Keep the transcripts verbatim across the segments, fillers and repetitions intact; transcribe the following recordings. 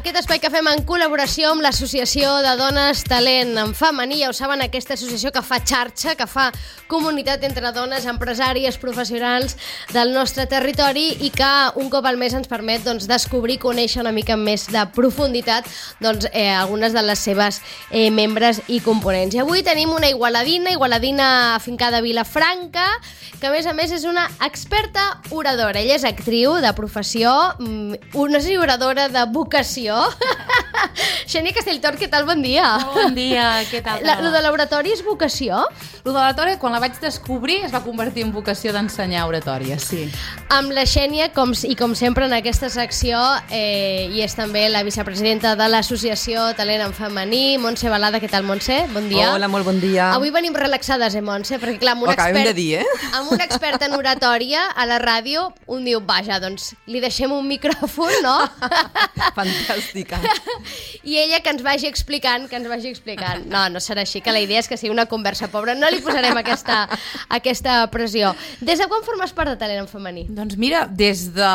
Aquest espai que fem en col·laboració amb l'Associació de Dones Talent en Femení, ja ho saben, aquesta associació que fa xarxa, que fa comunitat entre dones, empresàries, professionals del nostre territori i que un cop al mes ens permet doncs, descobrir, conèixer una mica més de profunditat doncs, eh, algunes de les seves eh, membres i components. I avui tenim una igualadina, igualadina afincada a Vilafranca, que a més a més és una experta oradora. Ella és actriu de professió, no sé si oradora de vocació. Xènia Castelltort, què tal? Bon dia. Bon dia, què tal? La, lo de l'oratòria és vocació? Lo de l'oratòria, quan la vaig descobrir, es va convertir en vocació d'ensenyar oratòria, sí. Amb la Xènia, com, i com sempre en aquesta secció, eh, i és també la vicepresidenta de l'Associació Talent en Femení, Montse Balada. Què tal, Montse? Bon dia. Hola, molt bon dia. Avui venim relaxades, eh, Montse? Perquè clar, amb un, expert, de dir, eh? amb un expert en oratòria a la ràdio, un diu, vaja, doncs li deixem un micròfon, no? Fantàstica. I ella que ens vagi explicant, que ens vagi explicant. No, no serà així, que la idea és que sigui una conversa pobra. No li posarem aquesta, aquesta pressió. Des de quan formes part de Talent en Femení? Doncs mira, des de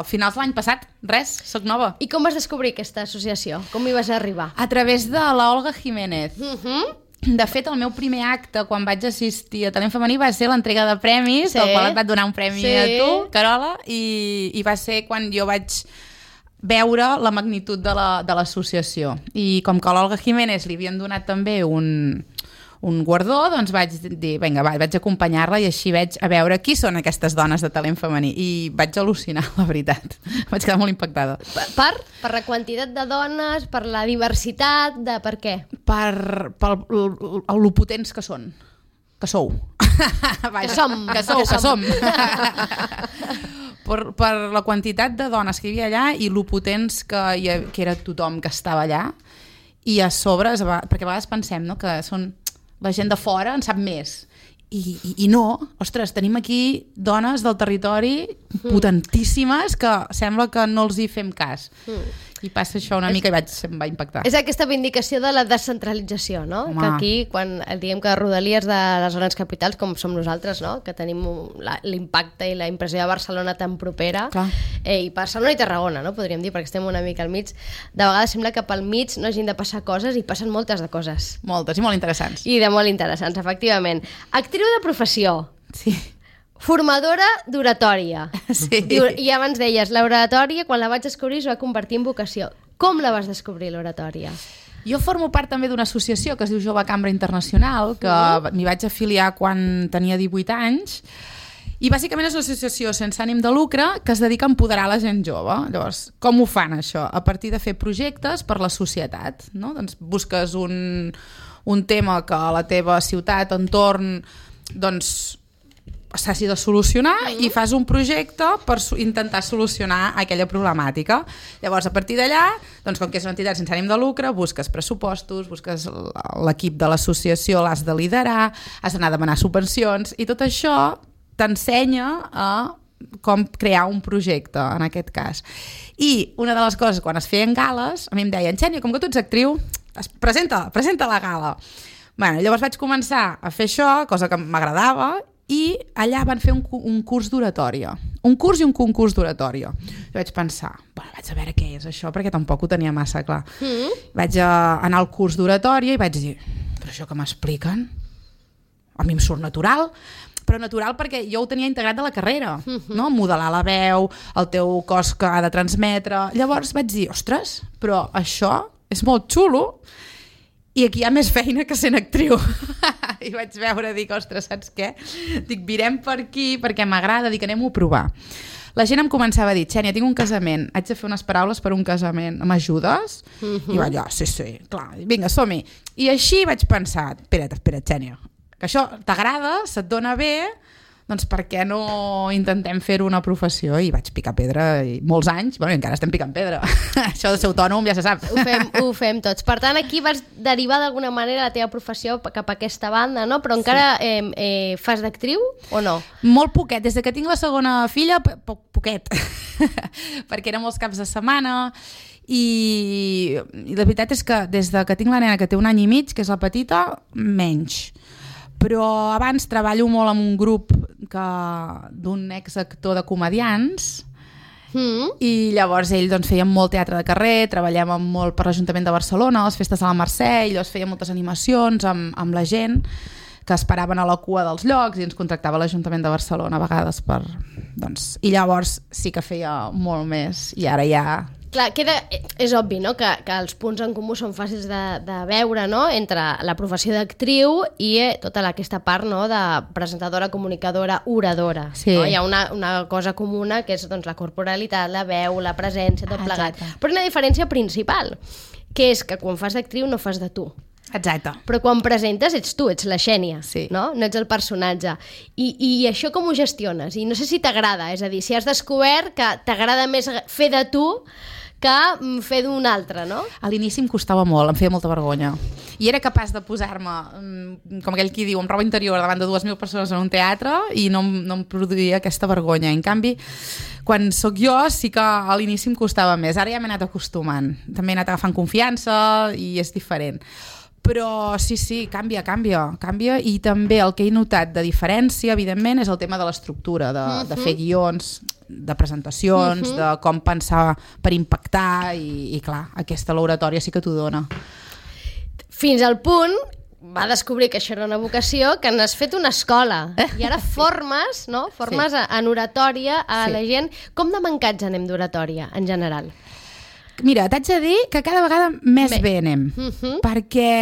finals de l'any passat, res, soc nova. I com vas descobrir aquesta associació? Com hi vas arribar? A través de la Olga Jiménez. Uh-huh. De fet, el meu primer acte, quan vaig assistir a Talent Femení, va ser l'entrega de premis, sí. Del qual et va donar un premi sí. a tu, Carola, i, i va ser quan jo vaig veure la magnitud de l'associació. La, I com que a l'Olga Jiménez li havien donat també un, un guardó, doncs vaig dir, vinga, va, vaig acompanyar-la i així veig a veure qui són aquestes dones de talent femení. I vaig al·lucinar, la veritat. Vaig quedar molt impactada. Per? Per la quantitat de dones, per la diversitat, de per què? Per, per lo potents que són. Que sou. Que som. Que sou, que som. Per, per la quantitat de dones que hi havia allà i lo potents que, hi ha, que era tothom que estava allà. I a sobre, perquè a vegades pensem, no?, que són la gent de fora en sap més. I, i, i no, ostres, tenim aquí dones del territori mm. potentíssimes que sembla que no els hi fem cas. Mm. I passa això una és, mica i vaig, em va impactar. És aquesta vindicació de la descentralització, no? Home. Que aquí, quan diem que rodalies de les grans capitals, com som nosaltres, no? Que tenim l'impacte i la impressió de Barcelona tan propera, eh, i Barcelona i Tarragona, no? Podríem dir, perquè estem una mica al mig. De vegades sembla que pel mig no hagin de passar coses i passen moltes de coses. Moltes, i molt interessants. I de molt interessants, efectivament. Actriu de professió. Sí. Formadora d'oratòria. Sí. I, I abans deies, l'oratòria, quan la vaig descobrir, es va convertir en vocació. Com la vas descobrir, l'oratòria? Jo formo part també d'una associació que es diu Jove Cambra Internacional, que uh-huh. m'hi vaig afiliar quan tenia divuit anys, i bàsicament és una associació sense ànim de lucre que es dedica a empoderar la gent jove. Llavors, com ho fan això? A partir de fer projectes per la societat, no? Doncs busques un, un tema que a la teva ciutat, entorn, doncs s'hagi de solucionar uh-huh. i fas un projecte per intentar solucionar aquella problemàtica. Llavors, a partir d'allà, doncs, com que és una entitat sense ànim de lucre, busques pressupostos, busques l'equip de l'associació, l'has de liderar, has d'anar a demanar subvencions, i tot això t'ensenya a com crear un projecte, en aquest cas. I una de les coses, quan es feien gales, a mi em deien, Xènia, com que tu ets actriu, presenta, presenta la gala. Bueno, llavors vaig començar a fer això, cosa que m'agradava, i allà van fer un, un curs d'oratòria. Un curs i un concurs d'oratòria. Jo vaig pensar, bueno, vaig a veure què és això, perquè tampoc ho tenia massa clar. Mm. Vaig a anar al curs d'oratòria i vaig dir, però això que m'expliquen, a mi em surt natural, però natural perquè jo ho tenia integrat de la carrera, mm-hmm. no? Modelar la veu, el teu cos que ha de transmetre. Llavors vaig dir, ostres, però això és molt xulo, i aquí hi ha més feina que sent actriu. I vaig veure, dic, ostres, saps què? Dic, virem per aquí perquè m'agrada, dic, anem-ho a provar. La gent em començava a dir, Xènia, tinc un casament, haig de fer unes paraules per un casament, m'ajudes? Uh-huh. I vaig, oh, sí, sí, clar, vinga, som-hi. I així vaig pensar, espera't, espera't, Xènia, que això t'agrada, se't dona bé, doncs per què no intentem fer una professió? I vaig picar pedra i molts anys, bueno, encara estem picant pedra. Això de ser autònom ja se sap. Ho fem, ho fem tots. Per tant, aquí vas derivar d'alguna manera la teva professió cap a aquesta banda, no? Però encara sí. eh, eh, fas d'actriu o no? Molt poquet. Des que tinc la segona filla, po poquet. Perquè eren molts caps de setmana i, i la veritat és que des de que tinc la nena que té un any i mig, que és la petita, menys. Però abans treballo molt amb un grup que d'un exactor de comedians Mm. I llavors ell doncs, feia molt teatre de carrer, treballàvem molt per l'Ajuntament de Barcelona, les festes de la Mercè, i llavors feia moltes animacions amb, amb la gent que esperaven a la cua dels llocs i ens contractava l'Ajuntament de Barcelona a vegades per... Doncs, i llavors sí que feia molt més i ara ja... Clar, queda, és obvi, no?, que, que els punts en comú són fàcils de, de veure, no?, entre la professió d'actriu i eh, tota la, aquesta part, no?, de presentadora, comunicadora, oradora. Sí. No? Hi ha una, una cosa comuna que és doncs, la corporalitat, la veu, la presència, tot plegat. Exacte. Però una diferència principal, que és que quan fas d'actriu no fas de tu. Exacte. Però quan presentes ets tu, ets la Xènia, Sí. no? No ets el personatge. I, I això com ho gestiones? I no sé si t'agrada, és a dir, si has descobert que t'agrada més fer de tu que fer d'un altre, no? A l'inici em costava molt, em feia molta vergonya. I era capaç de posar-me, com aquell qui diu, amb roba interior davant de dues mil persones en un teatre i no, no em produïa aquesta vergonya. En canvi, quan sóc jo sí que a l'inici em costava més. Ara ja m'he anat acostumant. També he anat agafant confiança i és diferent. Però sí, sí, canvia, canvia, canvia i també el que he notat de diferència, evidentment, és el tema de l'estructura, de, uh-huh. de fer guions, de presentacions, uh-huh. de com pensar per impactar i, i clar, aquesta l'oratòria sí que t'ho dona. Fins al punt va descobrir que això era una vocació, que n'has fet una escola i ara formes, no? Formes sí. en oratòria a sí. la gent. Com de mancats anem d'oratòria en general? Mira, t'haig de dir que cada vegada més bé, bé anem, uh-huh. perquè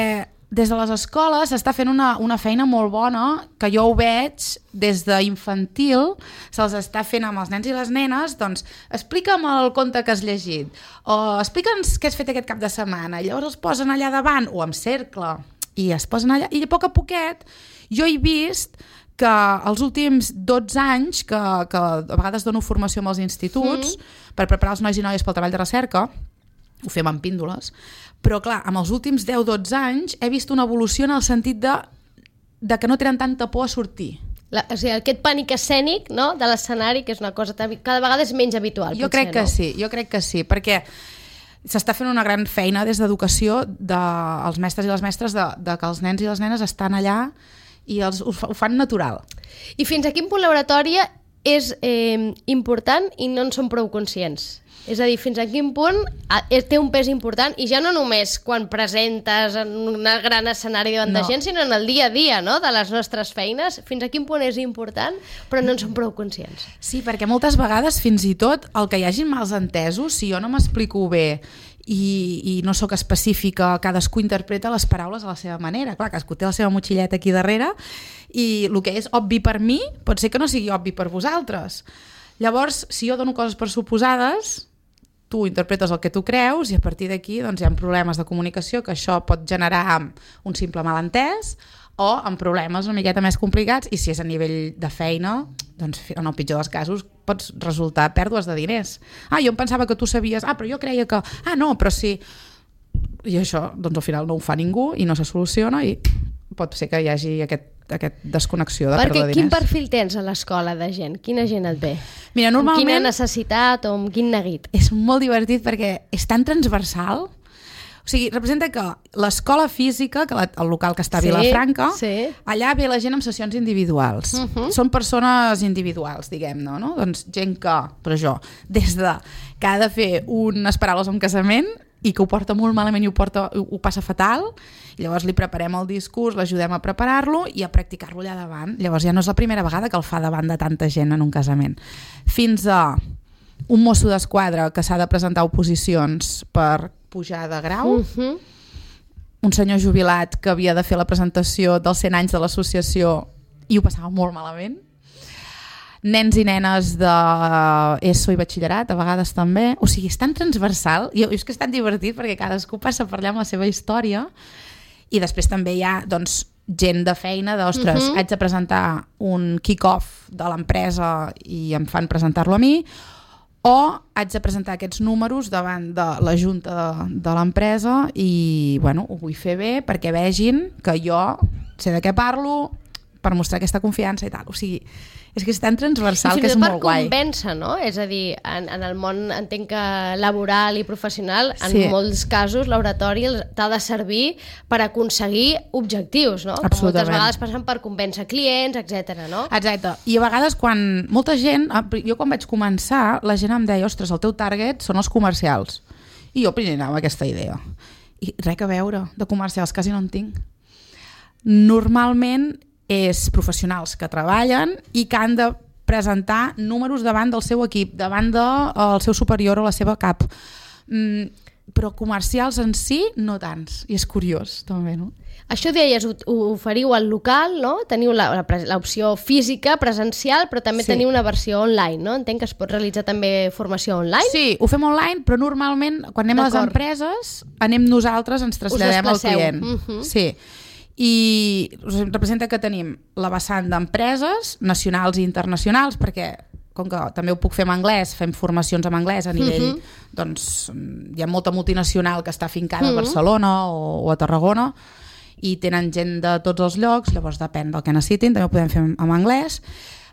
des de les escoles s'està fent una, una feina molt bona, que jo ho veig des d'infantil, se'ls està fent amb els nens i les nenes, doncs explica'm el conte que has llegit, o explica'ns què has fet aquest cap de setmana, i llavors els posen allà davant, o amb cercle, i es posen allà, i a poc a poquet jo he vist que els últims dotze anys que, que a vegades dono formació amb els instituts mm. per preparar els nois i noies pel treball de recerca, ho fem amb píndoles, però clar, amb els últims deu dotze anys he vist una evolució en el sentit de, de que no tenen tanta por a sortir. La, o sigui, aquest pànic escènic, no?, de l'escenari, que és una cosa cada vegada és menys habitual. Jo potser, crec que no? sí, jo crec que sí, perquè s'està fent una gran feina des d'educació dels mestres i les mestres de, de que els nens i les nenes estan allà i els, ho, ho fan natural. I fins a quin punt l'oratòria és eh, important i no en som prou conscients? És a dir, fins a quin punt té un pes important, i ja no només quan presentes en un gran escenari davant no. de gent, sinó en el dia a dia, no?, de les nostres feines. Fins a quin punt és important, però no en som prou conscients. Sí, perquè moltes vegades, fins i tot, el que hi hagi mals entesos, si jo no m'explico bé i, i no sóc específica, cadascú interpreta les paraules a la seva manera. Clar, cadascú té la seva motxilleta aquí darrere i el que és obvi per mi pot ser que no sigui obvi per vosaltres. Llavors, si jo dono coses per suposades, tu interpretes el que tu creus i a partir d'aquí doncs, hi ha problemes de comunicació que això pot generar un simple malentès o amb problemes una miqueta més complicats, i si és a nivell de feina, doncs en el pitjor dels casos pots resultar pèrdues de diners. Ah, jo em pensava que tu sabies, ah, però jo creia que... Ah, no, però sí... I això, doncs al final no ho fa ningú i no se soluciona i pot ser que hi hagi aquest, aquest desconnexió de Perquè pèrdua de diners. quin perfil tens a l'escola de gent? Quina gent et ve? Mira, normalment... Amb quina necessitat o amb quin neguit? És molt divertit perquè és tan transversal. O sigui, representa que l'escola física, que la, el local que està a Sí, Vilafranca, sí. allà ve la gent amb sessions individuals. Uh-huh. Són persones individuals, diguem-ne, no? Doncs gent que, però jo, des de que ha de fer unes paraules a un casament i que ho porta molt malament i ho, porta, ho passa fatal, i llavors li preparem el discurs, l'ajudem a preparar-lo i a practicar-lo allà davant. Llavors ja no és la primera vegada que el fa davant de tanta gent en un casament. Fins a un mosso d'esquadra que s'ha de presentar oposicions per pujar de grau, Uh-huh. un senyor jubilat que havia de fer la presentació dels cent anys de l'associació i ho passava molt malament, nens i nenes d'ESO i batxillerat, a vegades també. O sigui, és tan transversal, i és que és tan divertit perquè cadascú passa per allà amb la seva història, i després també hi ha doncs, gent de feina, d'ostres, uh-huh. haig de presentar un kick-off de l'empresa i em fan presentar-lo a mi, o haig de presentar aquests números davant de la junta de, de l'empresa i bueno, ho vull fer bé perquè vegin que jo sé de què parlo, per mostrar aquesta confiança i tal. O sigui, és que és tan transversal que és molt guai. I fins i tot per convèncer, no? És a dir, en, en el món entenc que laboral i professional, en Sí. molts casos l'oratori t'ha de servir per aconseguir objectius, no? Que moltes Absolutament. vegades passen per convèncer clients, etcètera, no? Exacte. I a vegades quan molta gent, jo quan vaig començar, la gent em deia, ostres, el teu target són els comercials. I jo primer anava amb aquesta idea. I res a veure, de comercials quasi no en tinc. Normalment és professionals que treballen i que han de presentar números davant del seu equip, davant del seu superior o la seva cap. Mm, però comercials en si no tants. I és curiós, també, no? Això deies, ho, ho oferiu al local, no? Teniu l'opció física, presencial, però també Sí. teniu una versió online, no? Entenc que es pot realitzar també formació online? Sí, ho fem online, però normalment quan anem a les D'acord. empreses, anem nosaltres, ens traslladem al desplaceu. client. Mhm. Sí. I us representa que tenim la vessant d'empreses nacionals i internacionals, perquè com que també ho puc fer en anglès, fem formacions en anglès a nivell, Mhm. doncs hi ha molta multinacional que està fincada Mhm. a Barcelona o, o a Tarragona i tenen gent de tots els llocs, llavors depèn del que necessitin, també ho podem fer en, en anglès.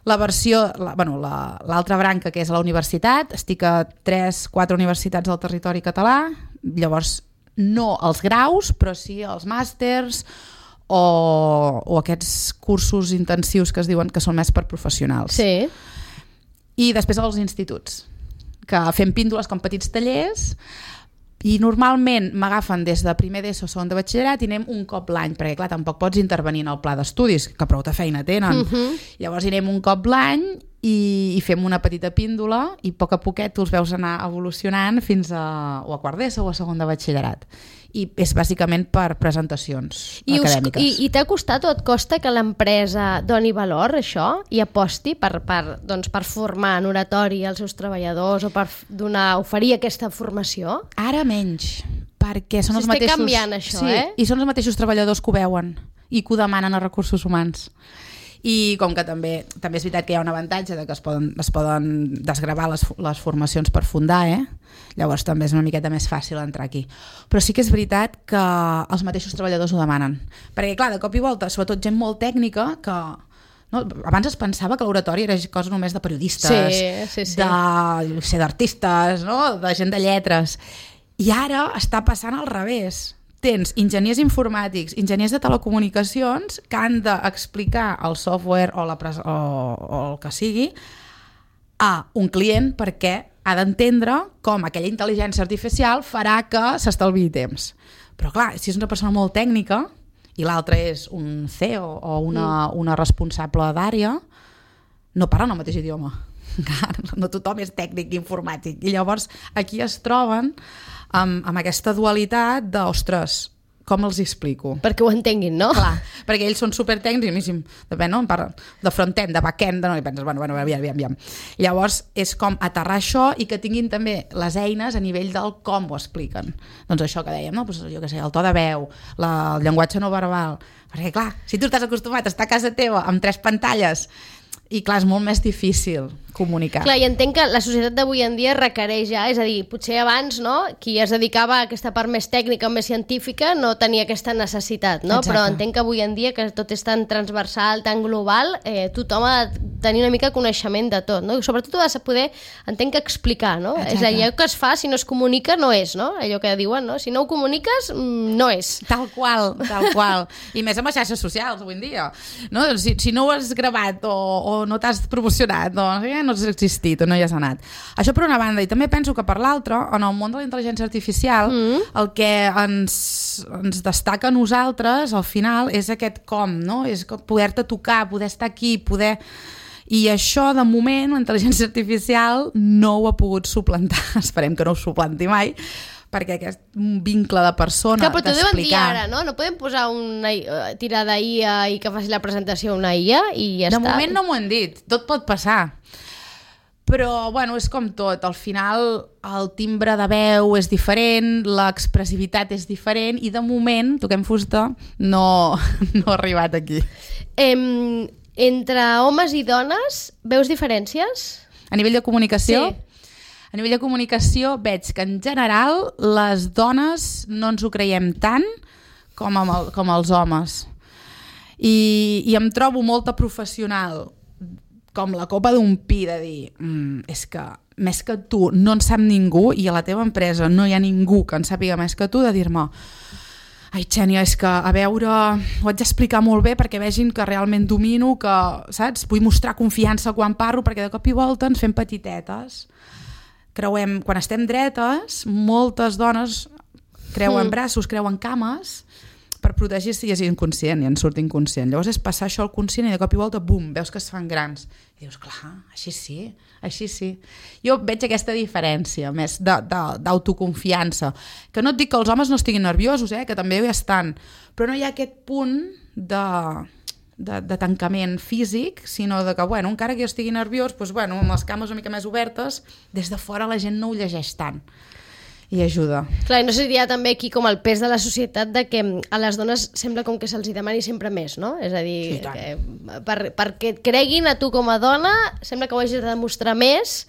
La versió, la, bueno, la, l'altra branca, que és a la universitat, estic a tres, quatre universitats del territori català, llavors no els graus, però sí els màsters o, o aquests cursos intensius que es diuen que són més per professionals. Sí. I després als instituts, que fem píndoles com petits tallers i normalment m'agafen des de primer d'ESO o segon de batxillerat i anem un cop l'any, perquè clar, tampoc pots intervenir en el pla d'estudis, que prou de feina tenen. Mhm. Llavors anem un cop l'any i, i fem una petita píndola i a poc a poquet tu els veus anar evolucionant fins a, o a quart d'ESO o a segon de batxillerat. I és bàsicament per presentacions I, us, acadèmiques. i, i t'ha costat o et costa que l'empresa doni valor a això i aposti per, per, doncs, per formar en oratori als seus treballadors o per donar, oferir aquesta formació? Ara menys, perquè són els S'està mateixos... canviant això, sí, eh? I són els mateixos treballadors que ho veuen i que ho demanen a recursos humans. I com que també també és veritat que hi ha un avantatge de que es poden, es poden desgravar les, les formacions per fundar, eh? Llavors també és una miqueta més fàcil entrar aquí. Però sí que és veritat que els mateixos treballadors ho demanen. Perquè clar, de cop i volta, sobretot gent molt tècnica que... No? Abans es pensava que l'oratori era cosa només de periodistes, Sí, sí, sí. de, no sé, d'artistes, no? De gent de lletres. I ara està passant al revés. Tens enginyers informàtics, enginyers de telecomunicacions que han d'explicar el software o, la pres o, o el que sigui a un client perquè ha d'entendre com aquella intel·ligència artificial farà que s'estalviï temps. Però clar, si és una persona molt tècnica i l'altre és un C E O o una, una responsable d'àrea, no parlen el mateix idioma. No tothom és tècnic informàtic. I llavors aquí es troben amb, amb aquesta dualitat de, ostres, com els hi explico? Perquè ho entenguin, no? Clar, perquè ells són supertècnics i a mi sí, depèn, no? De front-end, de back-end, no? I penses, bueno, bueno, aviam, aviam, aviam. Llavors és com aterrar això i que tinguin també les eines a nivell del com ho expliquen. Doncs això que dèiem, no? Pues, jo què sé, el to de veu, la, el llenguatge no verbal, perquè clar, si tu estàs acostumat a estar a casa teva amb tres pantalles i clar, és molt més difícil comunicar. Clar, i entenc que la societat d'avui en dia requereix ja, és a dir, potser abans, no?, qui es dedicava a aquesta part més tècnica, més científica, no tenia aquesta necessitat, no? Exacte. Però entenc que avui en dia, que tot és tan transversal, tan global, eh, tothom ha de tenir una mica coneixement de tot, no? Sobretot ho has de poder, entenc que explicar, no? Exacte. És allò que es fa, si no es comunica, no és, no? Allò que diuen, no? Si no ho comuniques, mm, no és. Tal qual, tal qual. I més amb les xarxes socials avui en dia. No? Si, si no ho has gravat o, o no t'has promocionat, doncs ja no has existit o no hi has anat. Això per una banda, i també penso que per l'altra, en el món de la intel·ligència artificial, mm. el que ens, ens destaca a nosaltres, al final, és aquest com, no? És poder-te tocar, poder estar aquí, poder... I això, de moment, la intel·ligència artificial no ho ha pogut suplantar. Esperem que no ho suplanti mai, perquè aquest vincle de persona, Clar, però t'ho deuen dir d'explicar... ara, no? No podem posar una uh, tirada I A i que faci la presentació una I A i ja de està. moment no m'ho han dit, tot pot passar. Però, bueno, és com tot. Al final, el timbre de veu és diferent, l'expressivitat és diferent i, de moment, toquem fusta, no, no ha arribat aquí. Em, entre homes i dones, veus diferències? A nivell de comunicació... Sí. A nivell de comunicació veig que en general les dones no ens ho creiem tant com, amb el, com els homes. I, i em trobo molta professional com la copa d'un pi de dir mm, és que més que tu no en sap ningú i a la teva empresa no hi ha ningú que en sàpiga més que tu, de dir-me ai, Xènia, és que a veure ho haig d'explicar molt bé perquè vegin que realment domino, que, saps? Vull mostrar confiança quan parlo perquè de cop i volta ens fem petitetes. Creuem, quan estem dretes, moltes dones creuen mm. braços, creuen cames per protegir-se i és inconscient i en surt inconscient. Llavors és passar això al conscient i de cop i volta, bum, veus que es fan grans. I dius, clar, així sí, així sí. Jo veig aquesta diferència més d'autoconfiança. Que no et dic que els homes no estiguin nerviosos, eh? Que també hi estan, però no hi ha aquest punt de, de, de tancament físic, sinó de que, bueno, encara que jo estigui nerviós, doncs, bueno, amb les cames una mica més obertes, des de fora la gent no ho llegeix tant. I ajuda. Clar, i no seria també aquí com el pes de la societat de que a les dones sembla com que se'ls demani sempre més, no? És a dir, sí, que per, perquè et creguin a tu com a dona sembla que ho hagis de demostrar més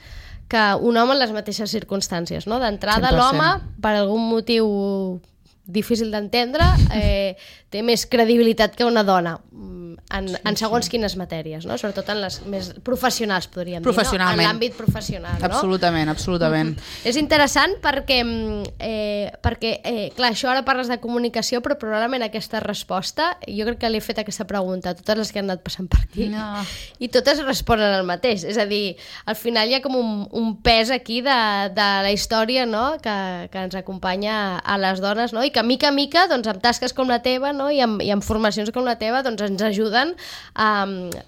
que un home en les mateixes circumstàncies, no? D'entrada l'home, per algun motiu difícil d'entendre, eh, té més credibilitat que una dona en, sí, en segons sí. quines matèries, no? Sobretot en les més professionals, podríem dir, no? En l'àmbit professional. No? Absolutament, absolutament. Mm-hmm. És interessant perquè, eh, perquè eh, clar, això ara parles de comunicació, però probablement aquesta resposta, jo crec que li he fet aquesta pregunta a totes les que han anat passant per aquí, no. i totes responen el mateix. És a dir, al final hi ha com un, un pes aquí de, de la història, no? que, que ens acompanya a les dones, no? I que mica a mica, doncs, amb tasques com la teva, no? I, amb, i amb formacions com la teva, doncs, ens ajuden a,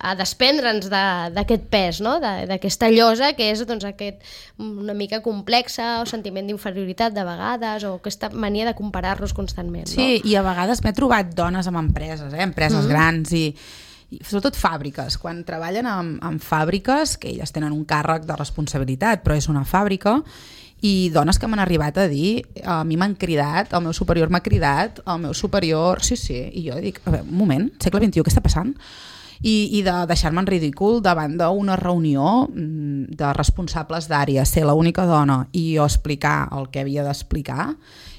a desprendre'ns d'aquest pes, no? D'aquesta llosa que és, doncs, aquest una mica complexa o sentiment d'inferioritat de vegades o aquesta mania de comparar-nos constantment. Sí, no? I a vegades m'he trobat dones amb empreses, eh? empreses mm-hmm. grans i, i sobretot fàbriques. Quan treballen en, en fàbriques, que elles tenen un càrrec de responsabilitat, però és una fàbrica, i dones que m'han arribat a dir, a mi m'han cridat, el meu superior m'ha cridat, el meu superior, sí, sí, i jo dic, a veure, un moment, segle vint-i-u, què està passant? I, i de deixar-me en ridícul davant d'una reunió de responsables d'àrea, ser l'única dona i jo explicar el que havia d'explicar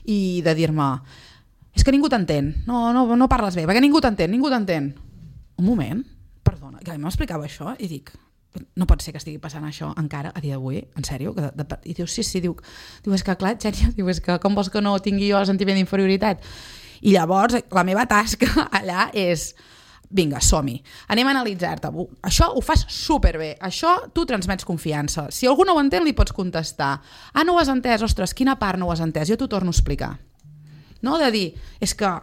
i de dir-me, és que ningú t'entén, no, no, no parles bé, perquè ningú t'entén, ningú t'entén. Un moment, perdona, que a mi m'explicava això i dic, no pot ser que estigui passant això encara a dia d'avui, en sèrio? Que de, de, I diu, sí, sí, diu, diu, és que clar, Xènia, diu, és que com vols que no tingui jo el sentiment d'inferioritat? I llavors la meva tasca allà és, vinga, som-hi, anem a analitzar-te, això ho fas superbé, això tu transmets confiança, si algú no ho entén li pots contestar, ah, no ho has entès, ostres, quina part no ho has entès, jo t'ho torno a explicar, no? De dir, és que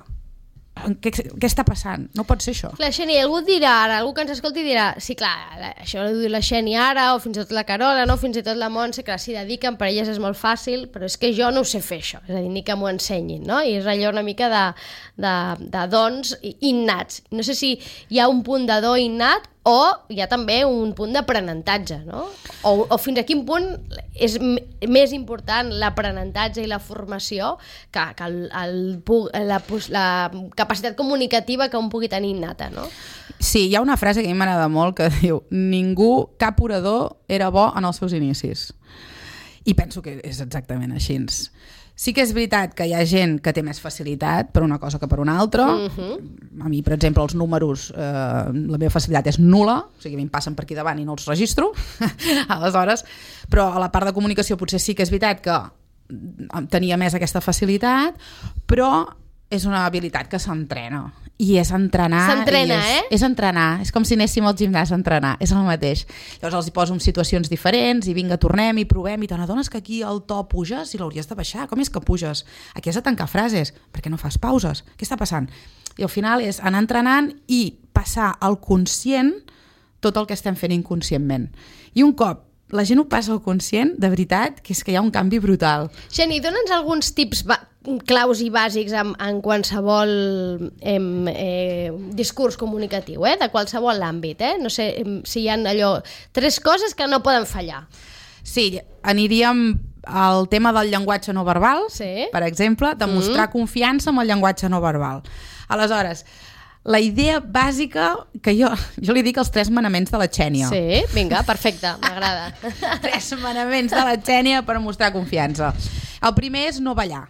Què, què està passant? No pot ser això. Clar, Xènia, algú dirà ara, algú que ens escolti dirà, sí, clar, això ho diu la Xènia ara, o fins i tot la Carola, no? Fins i tot la Montse, que s'hi dediquen, per elles és molt fàcil, però és que jo no ho sé fer això, és a dir, ni que m'ho ensenyin, no? I és allò una mica de, de, de dons innats. No sé si hi ha un punt de do innat o hi ha també un punt d'aprenentatge, no? O, o fins a quin punt és m- més important l'aprenentatge i la formació que, que el, el, la, la capacitat comunicativa que un pugui tenir innata, no? Sí, hi ha una frase que a mi m'agrada molt que diu, ningú, cap orador era bo en els seus inicis. I penso que és exactament així. Sí que és veritat que hi ha gent que té més facilitat per una cosa que per una altra. Uh-huh. A mi, per exemple, els números, eh, la meva facilitat és nul·la, o sigui, a mi em passen per aquí davant i no els registro, aleshores, però a la part de comunicació potser sí que és veritat que tenia més aquesta facilitat, però és una habilitat que s'entrena. I és entrenar... S'entrena, és, eh? És entrenar. És com si anéssim al gimnàs a entrenar. És el mateix. Llavors els hi poso en situacions diferents i vinga, tornem i provem i te n'adones que aquí el to puges i l'hauries de baixar. Com és que puges? Aquí has de tancar frases. Per què no fas pauses? Què està passant? I al final és anar entrenant i passar al conscient tot el que estem fent inconscientment. I un cop la gent ho passa al conscient, de veritat, que és que hi ha un canvi brutal. Xeni, dona'ns alguns tips ba- claus i bàsics en, en qualsevol em, eh, discurs comunicatiu, eh? De qualsevol àmbit. Eh? No sé em, si hi ha allò... Tres coses que no poden fallar. Sí, aniríem al tema del llenguatge no verbal, sí. Per exemple, de mostrar mm. confiança amb el llenguatge no verbal. Aleshores, la idea bàsica, que jo, jo li dic els tres manaments de la Xènia. Sí, vinga, perfecte, m'agrada. Tres manaments de la Xènia per mostrar confiança. El primer és no ballar.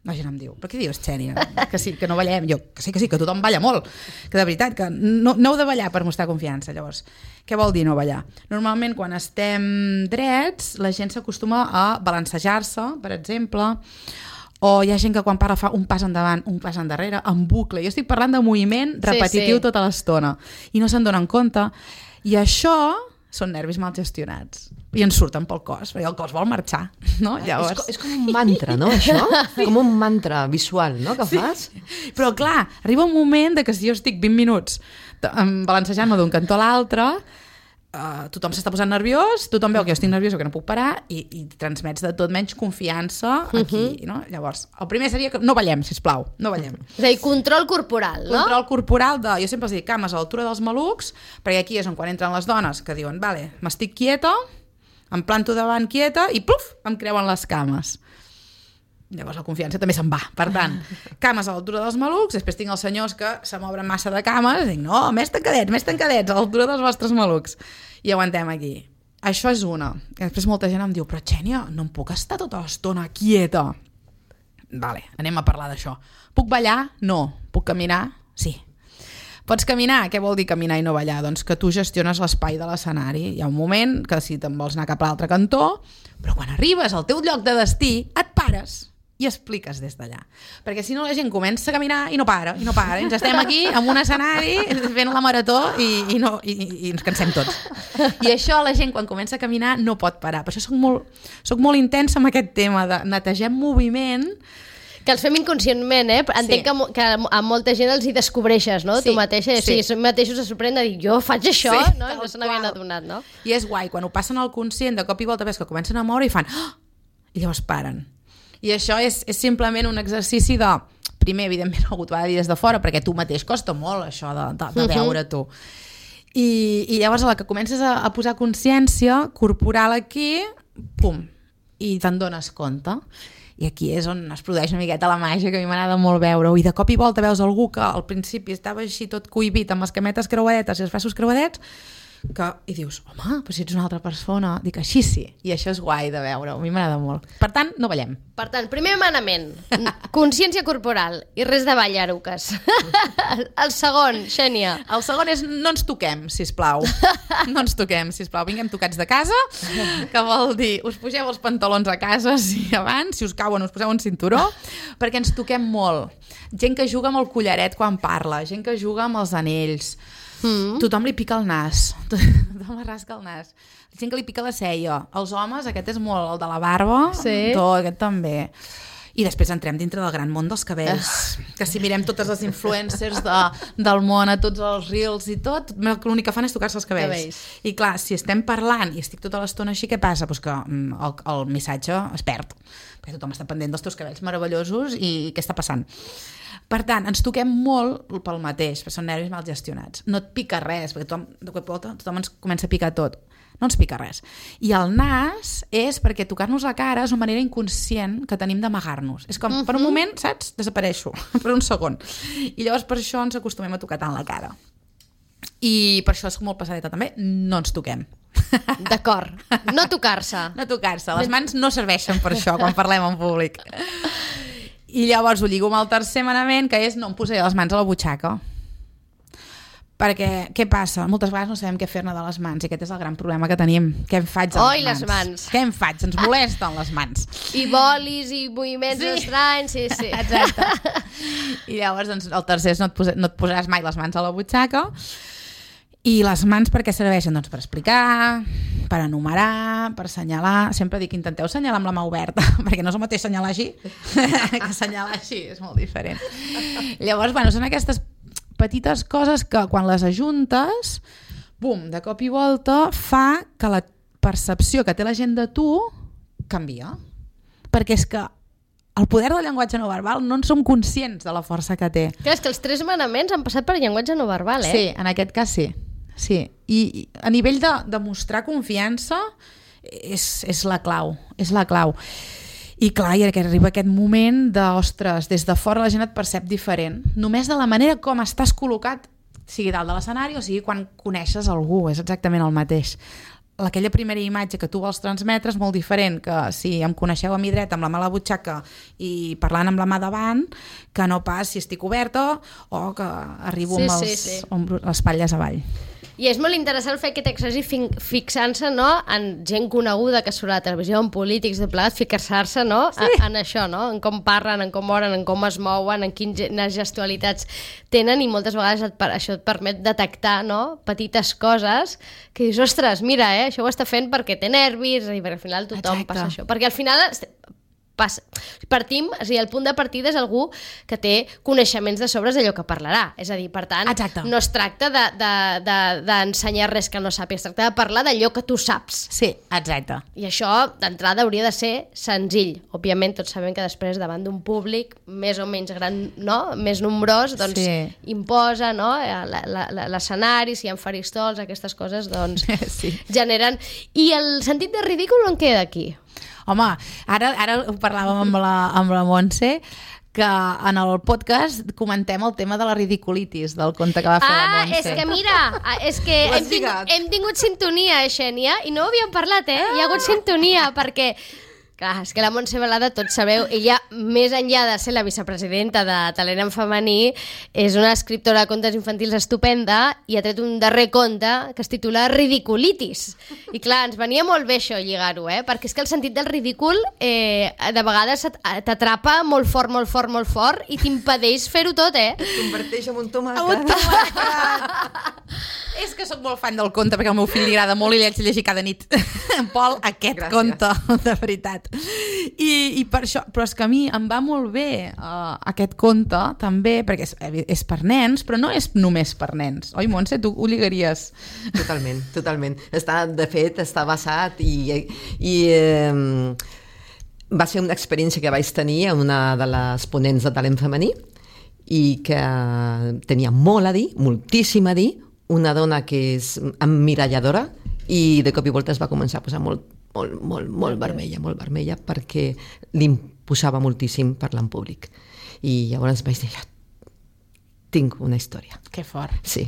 La gent em diu, però què dius, Xènia? Que sí, que no ballem. Jo, que sí, que sí, que tothom balla molt. Que de veritat, que no, no heu de ballar per mostrar confiança. Llavors, què vol dir no ballar? Normalment, quan estem drets, la gent s'acostuma a balancejar-se, per exemple, o hi ha gent que quan parla fa un pas endavant, un pas endarrere, en bucle. Jo estic parlant de moviment repetitiu sí, sí. tota l'estona. I no se'n donen compte. I això són nervis mal gestionats. I ens surten pel cos, perquè el cos vol marxar, no? Llavors... És, és com un mantra, no, això? Com un mantra visual, no?, que fas? Sí. Però, clar, arriba un moment de que si jo estic vint minuts balancejant-me d'un cantó a l'altre, uh, tothom s'està posant nerviós, tothom veu que jo estic nerviosa, que no puc parar, i, i transmets de tot menys confiança aquí, uh-huh. no? Llavors, el primer seria que no ballem, sisplau, no ballem. És a dir, control corporal, no? Control corporal de... Jo sempre els dic cames a l'altura dels malucs, perquè aquí és on quan entren les dones que diuen, vale, m'estic quieta, em planto davant quieta i pluf, em creuen les cames. Llavors la confiança també se'n va. Per tant, cames a l'altura dels malucs, després tinc els senyors que se m'obren massa de cames, i dic, no, més tancadets, més tancadets, a l'altura dels vostres malucs. I aguantem aquí. Això és una. I després molta gent em diu, però Xènia, no em puc estar tota l'estona quieta. Vale, anem a parlar d'això. Puc ballar? No. Puc caminar? Sí. Pots caminar? Què vol dir caminar i no ballar? Doncs que tu gestiones l'espai de l'escenari. Hi ha un moment que si te'n vols anar cap a l'altre cantó, però quan arribes al teu lloc de destí, et pares i expliques des d'allà. Perquè si no la gent comença a caminar i no para, i no para. Ens estem aquí en un escenari fent la marató i, i, no, i, i ens cansem tots. I això la gent quan comença a caminar no pot parar. Per això soc molt, soc molt intensa amb aquest tema de netegem moviment. Que els fem inconscientment, eh? Entenc sí. que, que a molta gent els hi descobreixes, no? Sí, tu mateixa, sí. o sigui, mateixos se sorprèn de dir, jo faig això, sí, no? I no se n'havien adonat, no? I és guai, quan ho passen al conscient, de cop i volta ves que comencen a moure i fan, oh! I llavors paren. I això és, és simplement un exercici de, primer, evidentment, algú t'ho ha de dir des de fora, perquè tu mateix costa molt, això de, de, de veure tu. I, I llavors, a la que comences a, a posar consciència corporal aquí, pum, i te'n dones compte. I aquí és on es produeix una miqueta la màgia, que a mi m'agrada molt veure-ho. I de cop i volta veus algú que al principi estava així tot cohibit amb les cametes creuadetes i els braços creuadets, que, i dius, home, però si ets una altra persona. Dic, així sí. I això és guai de veure-ho. A mi m'agrada molt. Per tant, no ballem. Per tant, primer manament, consciència corporal i res de ball, Aruques. El segon, Xènia. El segon és no ens toquem, sisplau. No ens toquem, sisplau. Vinguem tocats de casa, que vol dir, us pugeu els pantalons a casa si abans, si us cauen us poseu un cinturó, perquè ens toquem molt. Gent que juga amb el collaret quan parla, gent que juga amb els anells, Mm. tothom li pica el nas, tothom li rasca el nas, gent que li pica la ceia, els homes, aquest és molt el de la barba, sí. tot, aquest també. I després entrem dintre del gran món dels cabells, que si mirem totes les influencers de, del món, a tots els reels i tot, l'únic que fan és tocar-se els cabells. cabells. I clar, si estem parlant i estic tota l'estona així, què passa? Pues que el, el missatge es perd, perquè tothom està pendent dels teus cabells meravellosos i què està passant? Per tant, ens toquem molt pel mateix, perquè són nervis mal gestionats. No et pica res, perquè tothom, de cop i volta, tothom ens comença a picar tot. No ens pica res. I el nas és perquè tocar-nos la cara és una manera inconscient que tenim d'amagar-nos. És com, uh-huh. per un moment, saps? Desapareixo, per un segon. I llavors per això ens acostumem a tocar tant la cara. I per això és molt passadeta també, no ens toquem. D'acord. No tocar-se. No tocar-se. Les mans no serveixen per això quan parlem en públic. I llavors ho lligo amb el tercer manament, que és no em posaré les mans a la butxaca. Perquè, què passa? Moltes vegades no sabem què fer-ne de les mans, i aquest és el gran problema que tenim. Què em faig a Oi, les mans? les mans? Què em faig? Ens molesten les mans. I bolis, i moviments sí. estranys, sí, sí. Exacte. I llavors doncs, el tercer és no et, posa, no et posaràs mai les mans a la butxaca. I les mans per què serveixen? Doncs per explicar, per enumerar, per assenyalar. Sempre dic, intenteu assenyalar amb la mà oberta, perquè no és el mateix assenyalar així que assenyalar així, és molt diferent. Llavors, bueno, són aquestes petites coses que quan les ajuntes, bum, de cop i volta fa que la percepció que té la gent de tu canvia. Perquè és que el poder del llenguatge no verbal no en som conscients de la força que té. Clar, és que els tres manaments han passat per llenguatge no verbal, eh? Sí, en aquest cas sí. Sí, i, i a nivell de, de mostrar confiança és, és la clau, és la clau. I clar, i que arriba aquest moment de, ostres, des de fora la gent et percep diferent, només de la manera com estàs col·locat, sigui dalt de l'escenari o sigui quan coneixes algú, és exactament el mateix. aquella primera imatge que tu vols transmetre és molt diferent que si em coneixeu a mi dreta amb la mà a la butxaca i parlant amb la mà davant, que no pas si estic oberta o que arribo Sí, amb sí, els, sí. amb les espatlles avall. I és molt interessant el fet que t'exagi fixant-se, no?, en gent coneguda que surt a la televisió, en polítics de plegat, fixar-se, no?, sí. en això, no?, en com parlen, en com moren, en com es mouen, en quines gestualitats tenen, i moltes vegades et, això et permet detectar, no?, petites coses que dius, ostres, mira, eh, això ho està fent perquè té nervis, i perquè al final tothom Exacte. passa això. Perquè al final passa. Partim, o sigui, el punt de partida és algú que té coneixements de sobres d'allò que parlarà. És a dir, per tant, Exacte. no es tracta d'ensenyar de, de, de res que no sàpies, es tracta de parlar d'allò que tu saps. Sí, exacte. I això, d'entrada, hauria de ser senzill. Òbviament, tots sabem que després, davant d'un públic més o menys gran, no?, més nombrós, doncs Sí. imposa, no?, l'escenari, si hi ha faristols, aquestes coses, doncs Sí. generen... I el sentit de ridícul on queda aquí? Home, ara, ara ho parlàvem amb la, amb la Montse, que en el podcast comentem el tema de la ridiculitis, del conte que va fer la Ah, Montse. és que mira, ah, és que Ho has hem tingut, lligat. hem tingut sintonia, eh, Xènia, i no ho havíem parlat, eh? Hi ha hagut sintonia, perquè... Clar, és que la Montse Balada, tots sabeu, ella, més enllà de ser la vicepresidenta de Talent en Femení, és una escriptora de contes infantils estupenda i ha tret un darrer conte que es titula Ridiculitis. I clar, ens venia molt bé això, lligar-ho, eh? Perquè és que el sentit del ridícul eh, de vegades t'atrapa molt fort, molt fort, molt fort i t'impedeix fer-ho tot, eh? Es converteix en un Un tomàquet. tomàquet. És que sóc molt fan del conte perquè al meu fill li agrada molt i l'haig de llegir cada nit. En Pol, aquest Gràcies. conte, de veritat. I, i per això, però és que a mi em va molt bé uh, aquest conte també, perquè és, és per nens, però no és només per nens. Oi, Montse, tu ho lligaries? Totalment, totalment. Està, de fet, està basat i... i eh, va ser una experiència que vaig tenir amb una de les ponents de talent femení i que tenia molt a dir, moltíssim a dir, una dona que és emmiralladora i de cop i volta es va començar a posar molt, molt, molt, molt vermella, molt vermella perquè li imposava moltíssim parlar en públic. I llavors vaig dir, tinc una història. Que fort. Sí,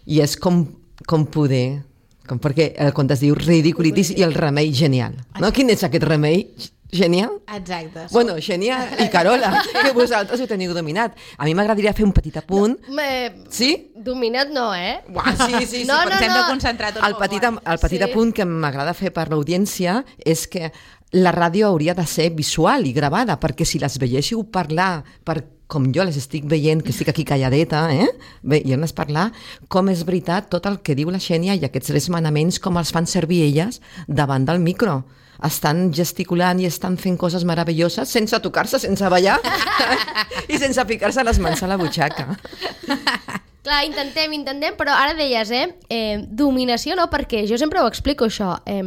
i és com, com poder... Com, perquè el conte es diu Ridiculitis i el remei genial. No? Quin és aquest remei genial? Exacte. Bueno, Xènia i Carola, que vosaltres ho teniu dominat. A mi m'agradaria fer un petit apunt. Me... Sí? Dominat no, eh? Uah, sí, sí, sí. No, però no, ens hem no. de concentrar tots. El petit, el petit Sí. apunt que m'agrada fer per l'audiència és que la ràdio hauria de ser visual i gravada, perquè si les veiéssiu parlar per com jo les estic veient, que estic aquí calladeta, eh? veient-les parlar, com és veritat tot el que diu la Xènia i aquests tres manaments, com els fan servir elles davant del micro. Estan gesticulant i estan fent coses meravelloses sense tocar-se, sense ballar i sense ficar-se les mans a la butxaca. Clar, intentem, intentem, però ara deies, eh, eh dominació no, perquè jo sempre ho explico això, eh,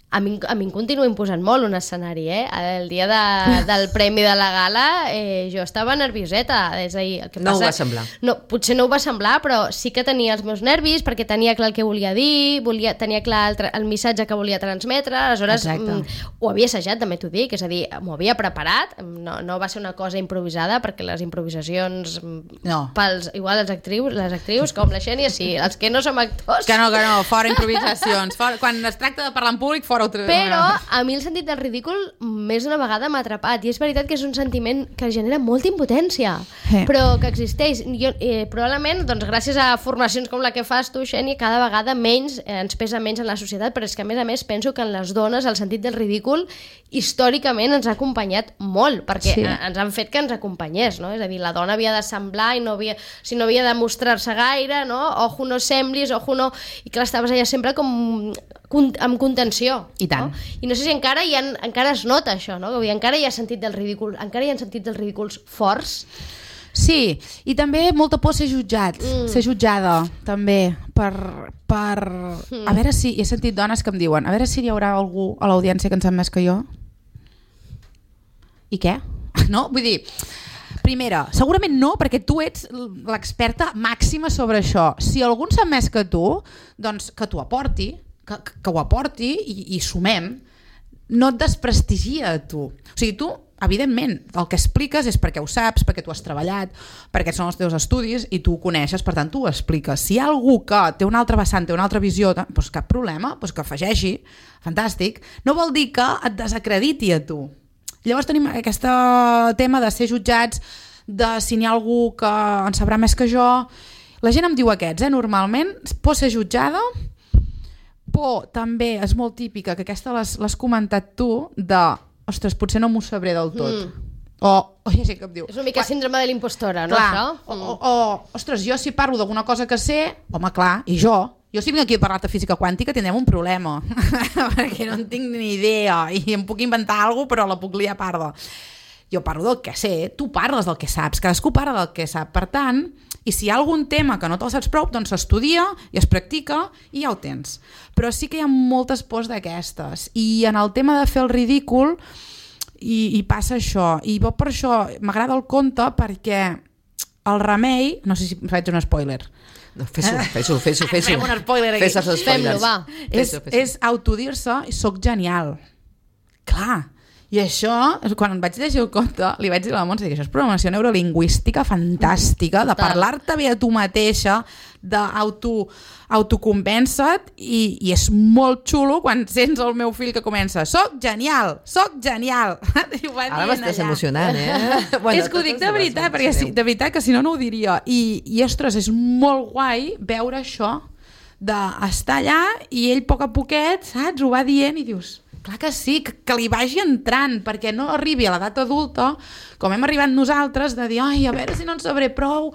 a mi, a mi em continua imposant molt un escenari, eh? El dia de, del premi de la gala eh, jo estava nervioseta, és a dir, el que No ho passa, va semblar. No, potser no ho va semblar, però sí que tenia els meus nervis perquè tenia clar el que volia dir, volia, tenia clar el, el missatge que volia transmetre, aleshores mm, ho havia assajat, també t'ho dic, és a dir, m'ho havia preparat, no, no va ser una cosa improvisada, perquè les improvisacions No. pels, igual les actrius, les actrius com la Xènia, sí, els que no som actors. Que no, que no, fora improvisacions. Fora, quan es tracta de parlar en públic, fora altre... Però a mi el sentit del ridícul més d'una vegada m'ha atrapat i és veritat que és un sentiment que genera molta impotència, Sí. però que existeix. Jo, eh, probablement, doncs, gràcies a formacions com la que fas tu, Xènia, cada vegada menys eh, ens pesa menys en la societat, però és que a més a més penso que en les dones el sentit del ridícul històricament ens ha acompanyat molt, perquè Sí. sí. ens han fet que ens acompanyés, no? És a dir, la dona havia de semblar i no havia, si no havia de mostrar-se gaire, no? Ojo no semblis, ojo no... I clar, estaves allà sempre com amb contenció. I tant. No? I no sé si encara, hi ha, encara es nota això, no? Que encara hi ha sentit del ridícul, encara hi ha sentit dels ridículs forts. Sí, i també molta por ser jutjat, mm. ser jutjada, també, per... per... Mm. A veure si... He sentit dones que em diuen, a veure si hi haurà algú a l'audiència que en sap més que jo. I què? No? Vull dir... Primera, segurament no, perquè tu ets l'experta màxima sobre això. Si algú en sap més que tu, doncs que t'ho aporti, que, que ho aporti i, i sumem. No et desprestigia a tu. O sigui, tu evidentment, el que expliques és perquè ho saps, perquè tu has treballat, perquè són els teus estudis i tu ho coneixes, per tant tu ho expliques. Si hi ha algú que té una altra vessant, té una altra visió, doncs cap problema, doncs que afegeixi, fantàstic. No vol dir que et desacrediti a tu. Llavors tenim aquest tema de ser jutjats, de si n'hi ha algú que en sabrà més que jo. La gent em diu aquests, eh, normalment, por ser jutjada, por també és molt típica, que aquesta l'has comentat tu, de ostres, potser no m'ho sabré del tot. Mm. O, o ja sé que em diu... És una mica síndrome de l'impostora, no, clar, això? O, o, o, ostres, jo si parlo d'alguna cosa que sé, home, clar, i jo, jo si vinc aquí a parlar de física quàntica tindrem un problema, perquè no en tinc ni idea, i em puc inventar alguna cosa, però la puc liar a parda. Jo parlo del que sé, tu parles del que saps, cadascú parla del que sap, per tant, i si hi ha algun tema que no te'l saps prou, doncs s'estudia i es practica i ja ho tens. Però sí que hi ha moltes pors d'aquestes, i en el tema de fer el ridícul i, i passa això, i per això m'agrada el conte, perquè el remei, no sé si faig un spoiler, no, fes-ho, fes-ho, fes-ho, fes-ho. Fem un spoiler aquí. Fes-ho, Fem-lo, va. És, és autodir-se, soc genial. Clar. I això, quan vaig llegir el conte, li vaig dir a la Montse que això és programació neurolingüística fantàstica, de parlar-te bé a tu mateixa, d'autoconvèncer-te, i, i és molt xulo quan sents el meu fill que comença soc genial, soc genial. Ara m'estàs emocionant, eh? Bueno, és que ho dic de veritat, perquè si, de veritat que si no no ho diria. I, i ostres, és molt guai veure això, d'estar allà i ell a poc a poquet, saps, ho va dient i dius... Clar que sí, que, que li vagi entrant, perquè no arribi a l'edat adulta, com hem arribat nosaltres, de dir, ai, a veure si no en sabré prou,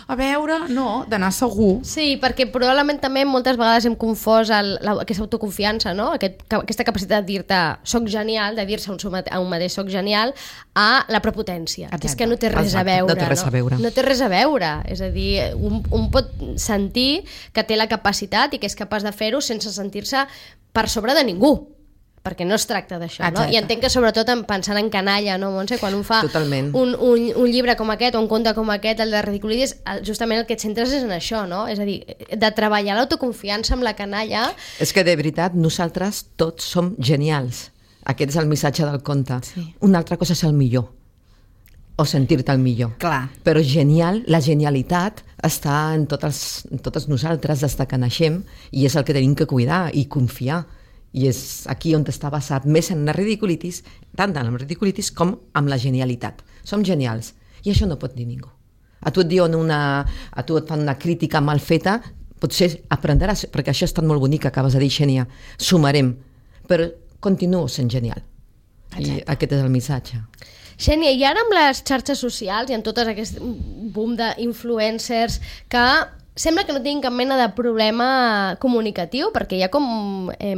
a veure... No, d'anar segur. Sí, perquè probablement també moltes vegades hem confós el, la, aquesta autoconfiança, no? Aquest, aquesta capacitat de dir-te soc genial, de dir-se a un, a un mateix soc genial, a la prepotència. Exacte. Que és que no té res Exacte. a veure. No té res a veure. No, no té res a veure. És a dir, un, un pot sentir que té la capacitat i que és capaç de fer-ho sense sentir-se per sobre de ningú, perquè no es tracta d'això, no? I entenc que sobretot pensant en canalla, no, Montse? Quan un fa un, un, un llibre com aquest o un conte com aquest, el de Ridiculitis, justament el que et centres és en això, no? És a dir, de treballar l'autoconfiança amb la canalla... És que de veritat nosaltres tots som genials. Aquest és el missatge del conte. Sí. Una altra cosa és el millor, o sentir-te el millor. Clar. Però genial, la genialitat està en totes, en totes nosaltres des que naixem, i és el que tenim que cuidar i confiar. I és aquí on està basat més en la ridiculitis, tant en la ridiculitis com amb la genialitat. Som genials, i això no pot dir ningú. A tu et diuen una, a tu et fan una crítica mal feta, potser aprendràs, perquè això ha estat molt bonic, acabes de dir, Xènia, sumarem, però continuo sent genial. Exacte. I aquest és el missatge. Xènia, i ara amb les xarxes socials i en tot aquest boom d'influencers que sembla que no tinguin cap mena de problema comunicatiu, perquè hi ha com... Eh,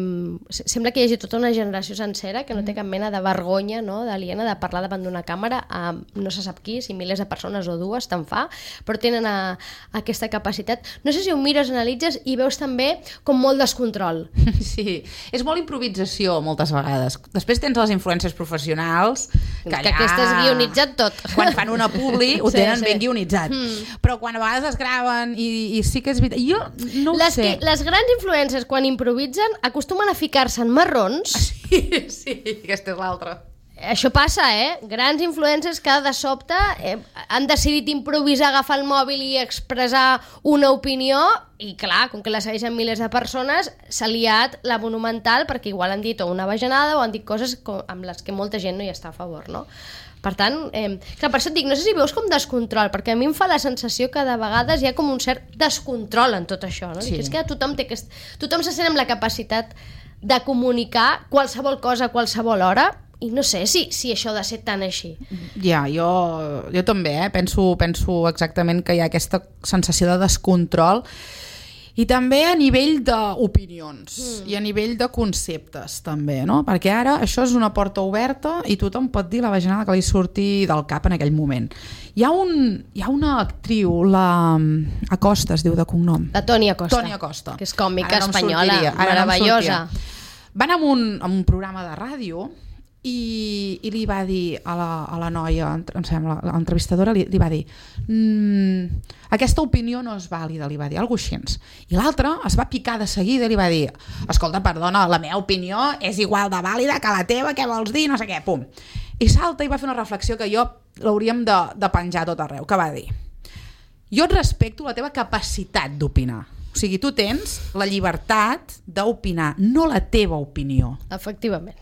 sembla que hi hagi tota una generació sencera que no té cap mena de vergonya, no?, d'aliena de parlar davant d'una càmera a no se sap qui, si milers de persones o dues, te'n fa, però tenen a, a aquesta capacitat. No sé si ho mires, analitzes i veus també com molt descontrol. Sí, és molt improvisació moltes vegades. Després tens les influències professionals, que, allà, que aquestes guionitzat tot. Quan fan una publi ho tenen sí, sí. ben guionitzat. Mm. Però quan a vegades es graven i i sí que és veritat. Jo no ho les sé. Que, les grans influencers, quan improvisen, acostumen a ficar-se en marrons. Sí, sí, aquesta és l'altra. Això passa, eh? Grans influencers que de sobte eh, han decidit improvisar, agafar el mòbil i expressar una opinió, i clar, com que la segueixen milers de persones, s'ha liat la monumental perquè igual han dit una bajanada o han dit coses amb les que molta gent no hi està a favor, no? Per tant, eh, clar, per això et dic, no sé si veus com descontrol, perquè a mi em fa la sensació que de vegades hi ha com un cert descontrol en tot això, no? Sí. Dic, és que tothom, té aquest... tothom se sent amb la capacitat de comunicar qualsevol cosa a qualsevol hora, i no sé si, si això ha de ser tan així. Ja, jo, jo també, eh? penso, penso exactament que hi ha aquesta sensació de descontrol, i també a nivell d'opinions mm. i a nivell de conceptes també, no? Perquè ara això és una porta oberta i tothom pot dir la bajanada que li surti del cap en aquell moment. Hi ha, un, hi ha una actriu, la Acosta es diu de cognom. La Toni Acosta. Toni Acosta. Que és còmica no espanyola, meravellosa. No van a un, a un programa de ràdio i, i li va dir a la, a la noia, em sembla, l'entrevistadora li, li va dir mmm, aquesta opinió no és vàlida, li va dir alguna cosa així. I l'altra es va picar de seguida i li va dir, escolta, perdona, la meva opinió és igual de vàlida que la teva, què vols dir, no sé què, pum. I salta i va fer una reflexió que jo l'hauríem de, de penjar tot arreu, que va dir: jo et respecto la teva capacitat d'opinar. O sigui, tu tens la llibertat d'opinar, no la teva opinió. Efectivament.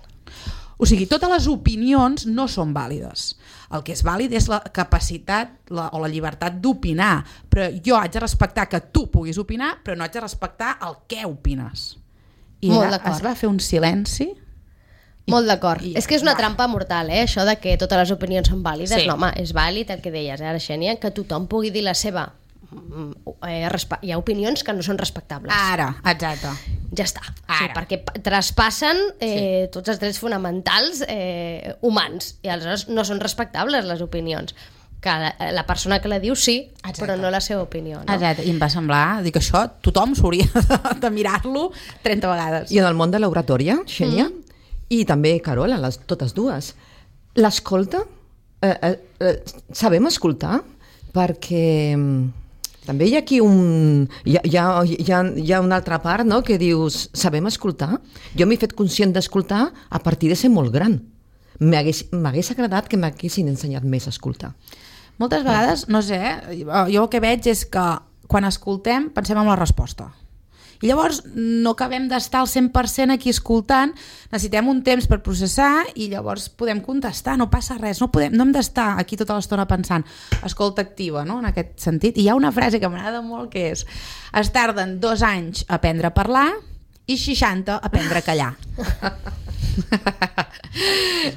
O sigui, totes les opinions no són vàlides. El que és vàlid és la capacitat la, o la llibertat d'opinar, però jo haig de respectar que tu puguis opinar, però no haig de respectar el què opines. I Molt ella d'acord. es va fer un silenci. I, Molt d'acord. i- És que és una va. trampa mortal, eh? Això de que totes les opinions són vàlides. Sí. No, home, és vàlid el que deies, eh, Xènia, que tothom pugui dir la seva. Mm, Eh, respe- hi ha opinions que no són respectables. Ara, exacte. Ja està. Sí, Ara. perquè pa- traspassen eh, sí. tots els drets fonamentals eh, humans i aleshores no són respectables les opinions. Que la, la persona que la diu sí, Exacte. però no la seva opinió. No? Exacte. I em va semblar, dic, això tothom s'hauria de, de mirar-lo trenta vegades. I en el món de l'oratòria, Xènia, mm. i també Carola, les, totes dues, l'escolta, eh, eh, eh, sabem escoltar? Perquè mm, també hi ha aquí un... Hi ha, hi ha, hi ha, hi ha una altra part, no?, que dius, sabem escoltar? Jo m'he fet conscient d'escoltar a partir de ser molt gran. M'hagués m'hagués agradat que m'haguessin ensenyat més a escoltar. Moltes vegades, no sé, jo el que veig és que quan escoltem pensem en la resposta. I llavors no acabem d'estar al cent per cent aquí escoltant, necessitem un temps per processar i llavors podem contestar, no passa res, no, podem, no hem d'estar aquí tota l'estona pensant. Escolta activa, no?, en aquest sentit. I hi ha una frase que m'agrada molt que és: es tarden dos anys a aprendre a parlar i seixanta a aprendre a callar.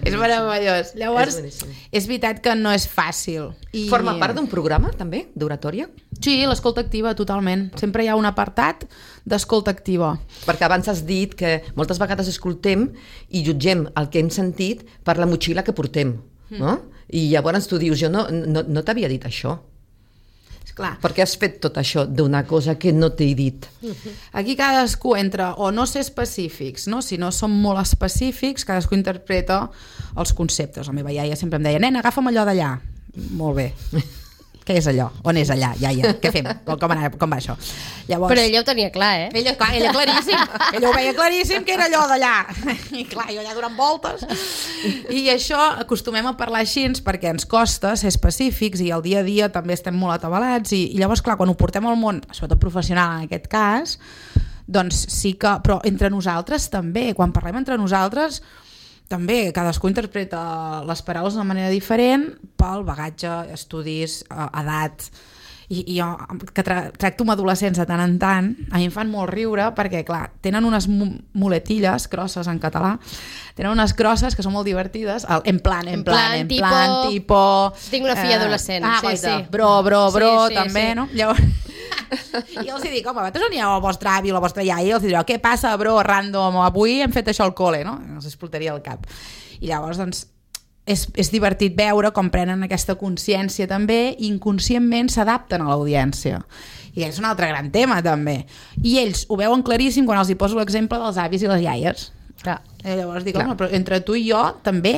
És meravellós. Llavors, És boníssim. és veritat que no és fàcil. I... Forma part d'un programa, també, d'oratòria? Sí, l'escolta activa, totalment. Sempre hi ha un apartat d'escolta activa. Perquè abans has dit que moltes vegades escoltem i jutgem el que hem sentit per la motxilla que portem, no? I llavors tu dius, jo no, no, no t'havia dit això. Esclar, Per què has fet tot això d'una cosa que no t'he dit? aquí cadascú entra o no ser específics, no? Si no som molt específics, cadascú interpreta els conceptes. La meva iaia sempre em deia: nena, agafa'm allò d'allà. Molt bé. Què és allò? On és allà, iaia? Què fem? Com, com, anar, com va això? Llavors, Però ella ho tenia clar, eh? Ella, clar, ella claríssim, ella ho veia claríssim que era allò d'allà. I clar, jo allà donant voltes. I això acostumem a parlar així perquè ens costa ser específics i al dia a dia també estem molt atabalats i, i llavors, clar, quan ho portem al món, sobretot professional en aquest cas, doncs sí que... Però entre nosaltres també, quan parlem entre nosaltres, també cadascú interpreta les paraules d'una manera diferent pel bagatge, estudis, edat. I, i jo, que tra tracto amb adolescents de tant en tant, a mi em fan molt riure perquè, clar, tenen unes muletilles grosses en català, tenen unes grosses que són molt divertides, el, en plan, en, En plan, plan, en tipo- plan, tipo... Tinc una filla adolescent, ah, sí, guaita, sí. Bro, bro, bro, Sí, sí, també, sí. no? Llavors... I els hi dic, home, vosaltres on hi ha el vostre avi o la vostra iaia, i els direu, què passa, bro, random, avui hem fet això al col·le, no? Els explotaria el cap. I llavors, doncs, és, és divertit veure com prenen aquesta consciència també i inconscientment s'adapten a l'audiència. I és un altre gran tema, també. I ells ho veuen claríssim quan els hi poso l'exemple dels avis i les iaies. Clar. I llavors dic, Clar. home, però entre tu i jo també,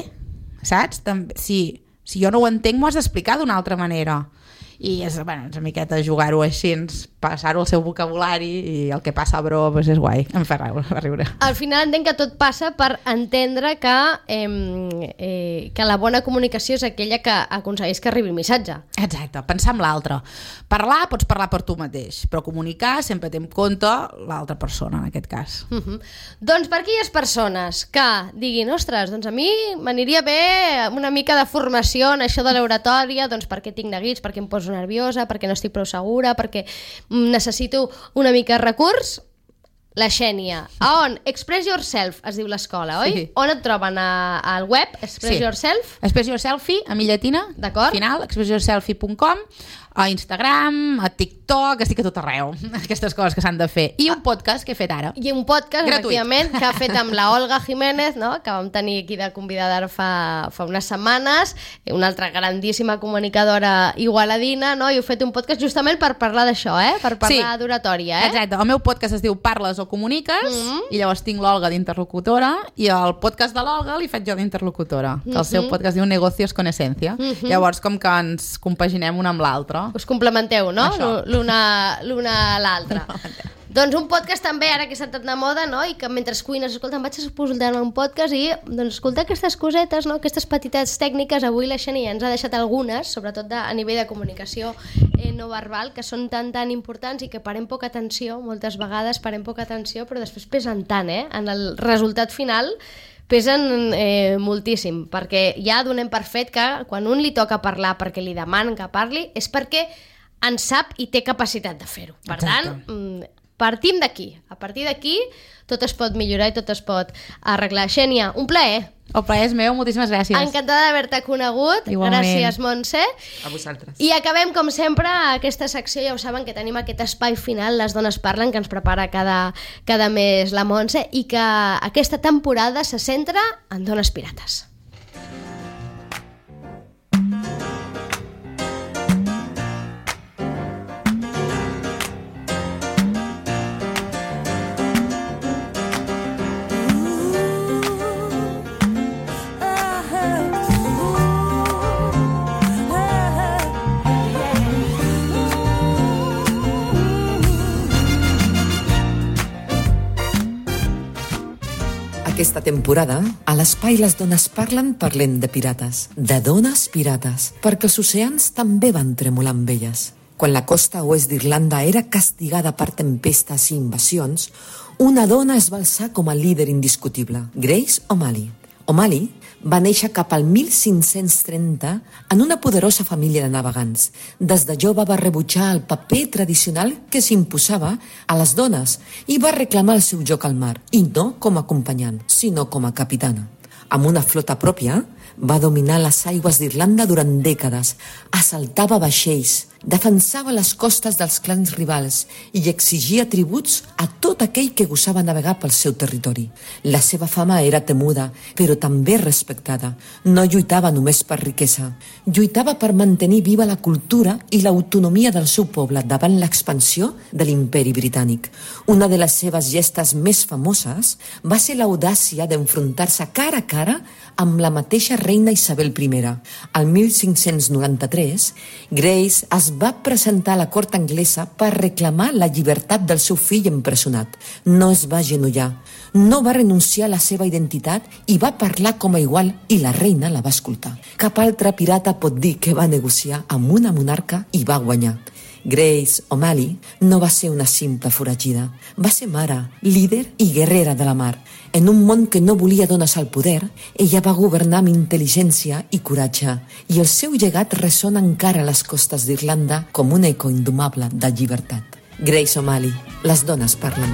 saps? També, si, si jo no ho entenc, m'ho has d'explicar d'una altra manera. I és, bueno, és una miqueta jugar-ho així, passar-ho al seu vocabulari i el que passa, bro, pues és guai, em fa riure. Al final entenc que tot passa per entendre que, eh, eh, que la bona comunicació és aquella que aconsegueix que arribi el missatge. Exacte, pensar en l'altre. Parlar, pots parlar per tu mateix, però comunicar sempre té en compte l'altra persona, en aquest cas. Uh -huh. Doncs per aquelles persones que diguin, ostres, doncs a mi m'aniria bé una mica de formació en això de l'oratòria, doncs perquè tinc neguits, perquè em poso nerviosa, perquè no estic prou segura, perquè necessito una mica de recurs, la Xènia. A on? Express Yourself es diu l'escola, oi? Sí. On et troben? A, al web? Express Sí. Yourself? Express Yourselfie, a mi llatina, D'acord. final, express yourselfie punt com, a Instagram, a TikTok, estic a tot arreu, aquestes coses que s'han de fer. I un podcast que he fet ara. I un podcast, Gratuït. efectivament, que ha fet amb la Olga Jiménez, no? Que vam tenir aquí de convidada fa, fa unes setmanes, una altra grandíssima comunicadora igualadina, no? I heu fet un podcast justament per parlar d'això, eh? Per parlar Sí. d'oratòria, eh? Exacte, el meu podcast es diu Parles o Comuniques, Mm-hmm. i llavors tinc l'Olga d'interlocutora, i el podcast de l'Olga li faig jo d'interlocutora, que el seu podcast diu Negocios con Esencia. Llavors, com que ens compaginem un amb l'altre. Us complementeu, no? Això. L'una l'una a l'altra. Doncs un podcast també, ara que s'ha estat de moda, no? I que mentre cuines, escolta, em vaig escoltar un podcast i, doncs, escoltar aquestes cosetes, no? Aquestes petites tècniques, avui la Xènia ens ha deixat algunes, sobretot de, a nivell de comunicació eh, no verbal, que són tan, tan importants i que parem poca atenció, moltes vegades parem poca atenció, però després pesen tant, eh? En el resultat final pesen eh, moltíssim, perquè ja donem per fet que quan un li toca parlar perquè li demanen que parli, és perquè en sap i té capacitat de fer-ho. Per Exacte. tant, partim d'aquí. A partir d'aquí tot es pot millorar i tot es pot arreglar. Xènia, un plaer. El plaer és meu, moltíssimes gràcies. Encantada d'haver-te conegut. Igualment. Gràcies, Montse. A vosaltres. I acabem, com sempre, aquesta secció, ja ho saben, que tenim aquest espai final, Les dones parlen, que ens prepara cada, cada mes la Montse, i que aquesta temporada se centra en dones pirates. Aquesta temporada, a l'espai Les dones parlen, parlem de pirates, de dones pirates, perquè els oceans també van tremolar amb elles. Quan la costa oest d'Irlanda era castigada per tempestes i invasions, una dona es va alçar com a líder indiscutible, Grace O'Malley. O'Malley va néixer cap al mil cinc-cents trenta en una poderosa família de navegants. Des de jove va rebutjar el paper tradicional que s'imposava a les dones i va reclamar el seu lloc al mar, i no com a acompanyant, sinó com a capitana. Amb una flota pròpia, va dominar les aigües d'Irlanda durant dècades, assaltava vaixells, defensava les costes dels clans rivals i exigia tributs a tot aquell que gosava navegar pel seu territori. La seva fama era temuda, però també respectada. No lluitava només per riquesa, lluitava per mantenir viva la cultura i l'autonomia del seu poble davant l'expansió de l'imperi britànic. Una de les seves gestes més famoses va ser l'audàcia d'enfrontar-se cara a cara amb la mateixa reina Isabel primera. Al mil cinc-cents noranta-tres, Grace es va presentar a la cort anglesa per reclamar la llibertat del seu fill empresonat. No es va agenollar, no va renunciar a la seva identitat i va parlar com a igual, i la reina la va escoltar. Cap altre pirata pot dir que va negociar amb una monarca i va guanyar. Grace O'Malley no va ser una simple foragida, va ser mare, líder i guerrera de la mar. En un món que no volia dones al poder, ella va governar amb intel·ligència i coratge, i el seu llegat ressona encara a les costes d'Irlanda com un eco indomable de llibertat. Grace O'Malley, Les dones parlen.